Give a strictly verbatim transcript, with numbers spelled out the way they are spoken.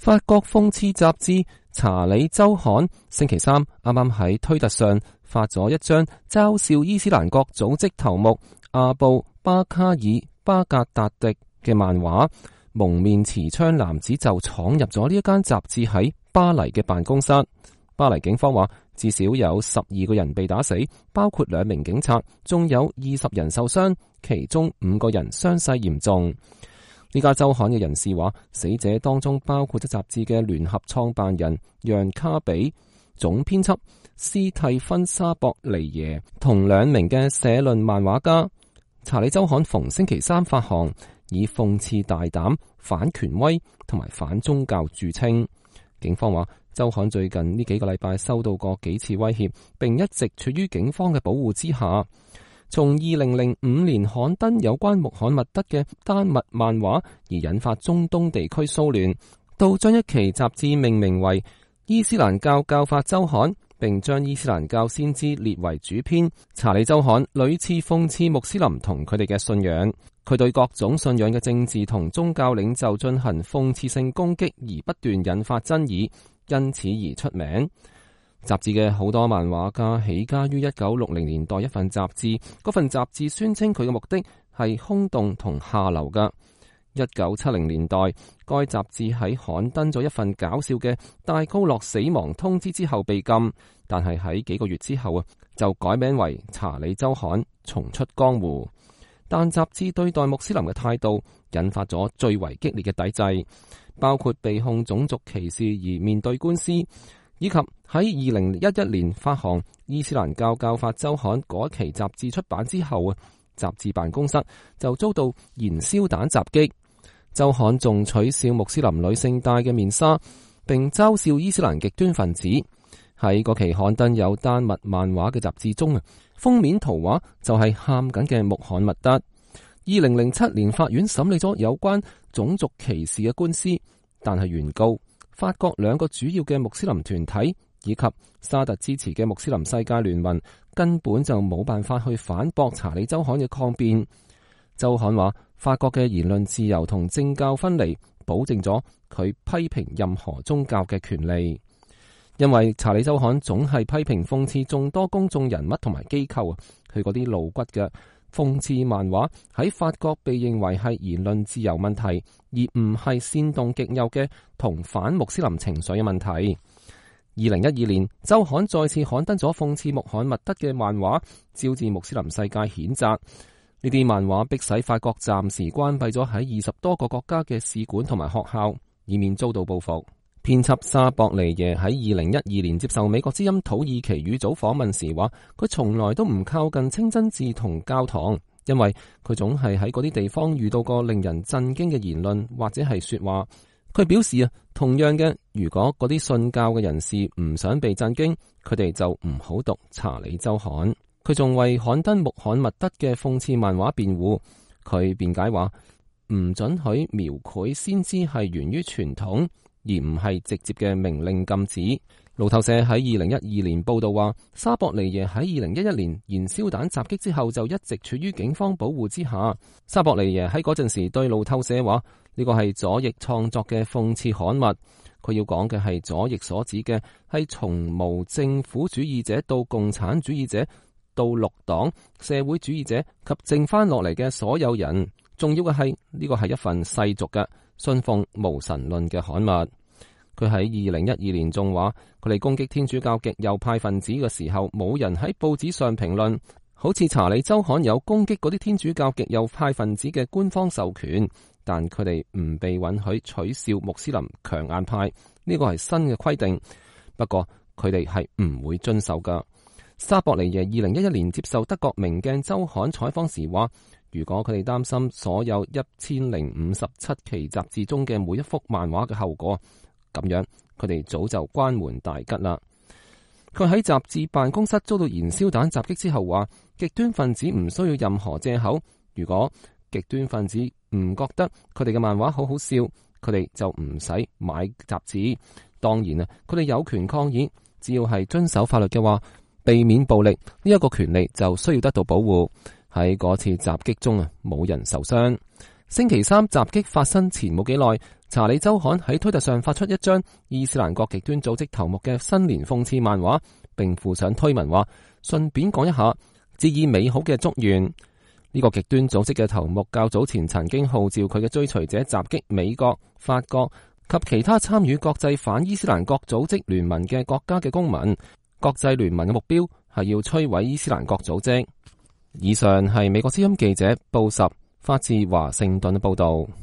法國諷刺雜誌《查理周刊》星期三啱啱喺推特上發咗一張嘲笑伊斯蘭國組織頭目阿布巴卡爾巴格達迪嘅漫畫，蒙面持槍男子就闖入咗呢一間雜誌喺巴黎嘅辦公室。巴黎警方話至少有十二個人被打死，包括兩名警察，仲有二十人受傷，其中五個人傷勢嚴重。呢家周刊嘅人士話，死者當中包括咗雜誌嘅聯合創辦人楊卡比、總編輯斯蒂芬沙博尼耶同兩名嘅社論漫畫家。查理周刊逢星期三發行，以諷刺大膽、反權威同埋反宗教著稱。警方話，周刊最近呢幾個禮拜收到過幾次威脅，並一直處於警方嘅保護之下。從二零零五年刊登有關穆罕默德嘅丹麥漫畫而引發中東地區騷亂，到將一期雜誌命名為伊斯蘭教教法周刊，並將伊斯蘭教先知列為主編。查理周刊屢次諷刺穆斯林同佢哋嘅信仰，佢對各種信仰嘅政治同宗教領袖進行諷刺性攻擊，而不斷引發爭議，因此而出名。雜誌嘅好多漫畫家起家於一九六零年代一份雜誌，嗰份雜誌宣稱佢嘅目的係空洞同下流㗎。一九七零年代，該雜誌喺刊登咗一份搞笑嘅戴高樂死亡通知之後被禁，但係喺幾個月之後啊，就改名為查理周刊，重出江湖。但雜誌對待穆斯林嘅態度引發咗最為激烈嘅抵制，包括被控種族歧視而面對官司，以及喺二零一一年發行伊斯蘭教教法周刊嗰期雜誌出版之後啊，雜誌辦公室就遭到燃燒彈襲擊。周刊仲取笑穆斯林女性戴嘅面紗，並嘲笑伊斯蘭極端分子。喺嗰期刊登有丹麥漫畫嘅雜誌中啊，封面圖畫就係喊緊嘅穆罕默德。二零零七年法院審理咗有關種族歧視嘅官司，但係原告法國兩個主要嘅穆斯林團體以及沙特支持嘅穆斯林世界聯盟根本就冇辦法去反駁查理周刊嘅抗辯。周刊話，法國嘅言論自由同政教分離保證咗佢批評任何宗教嘅權利。因為查理周刊總係批評諷刺眾多公眾人物同埋機構啊，佢嗰啲露骨嘅諷刺漫畫喺法國被認為係言論自由問題，而唔係煽動極右嘅同反穆斯林情緒嘅問題。二零一二年，周刊再次刊登咗諷刺穆罕默德嘅漫畫，招致穆斯林世界譴責。呢啲漫畫迫使法國暫時關閉咗喺二十多個國家嘅使館同埋學校，以免遭到報復。編輯沙博尼耶喺二零一二年接受美國之音土耳其語組訪問時話，佢從來都唔靠近清真寺同教堂，因為佢總係喺嗰啲地方遇到過令人震驚嘅言論或者係說話。佢表示啊，同樣嘅，如果嗰啲信教嘅人士唔想被震驚，佢哋就唔好讀查理周刊。佢仲為刊登穆罕默德嘅諷刺漫畫辯護，佢辯解話唔准許描繪先知係源於傳統，而唔係直接嘅命令禁止。路透社喺二零一二年報道話，沙博尼耶喺二零一一年燃燒彈襲擊之後就一直處於警方保護之下。沙博尼耶喺嗰陣時對路透社話，呢個係左翼創作嘅諷刺刊物。佢要講嘅係左翼所指嘅係從無政府主義者到共產主義者到綠黨、社會主義者及剩翻落嚟嘅所有人。重要嘅係呢個係一份世俗嘅信奉無神論嘅刊物。佢喺二零一二年仲話，佢哋攻擊天主教極右派分子嘅時候，冇人喺報紙上評論，好似查理周刊有攻擊嗰啲天主教極右派分子嘅官方授權，但佢哋唔被允許取笑穆斯林強硬派，呢個係新嘅規定。不過佢哋係唔會遵守噶。沙博尼耶二零一一年接受德國明鏡周刊採訪時話，如果佢哋擔心所有一千零五十七期雜誌中嘅每一幅漫畫嘅後果，咁樣佢哋早就關門大吉啦。佢喺雜誌辦公室遭到燃燒彈襲擊之後話，極端分子唔需要任何借口。如果極端分子唔覺得佢哋嘅漫畫好好笑，佢哋就唔使買雜誌。當然啊，佢哋有權抗議，只要係遵守法律嘅話，避免暴力呢一個權利就需要得到保護。喺嗰次襲擊中啊，冇人受傷。星期三襲擊發生前冇幾耐，查理周刊喺推特上發出一張伊斯蘭國極端組織頭目嘅新年諷刺漫畫，並附上推文話：順便講一下，致以美好嘅祝願。呢、這個極端組織嘅頭目較早前曾經號召佢嘅追隨者襲擊美國、法國及其他參與國際反伊斯蘭國組織聯盟嘅國家嘅公民。國際聯盟嘅目標係要摧毀伊斯蘭國組織。以上係美國之音記者布什發自華盛頓嘅報道。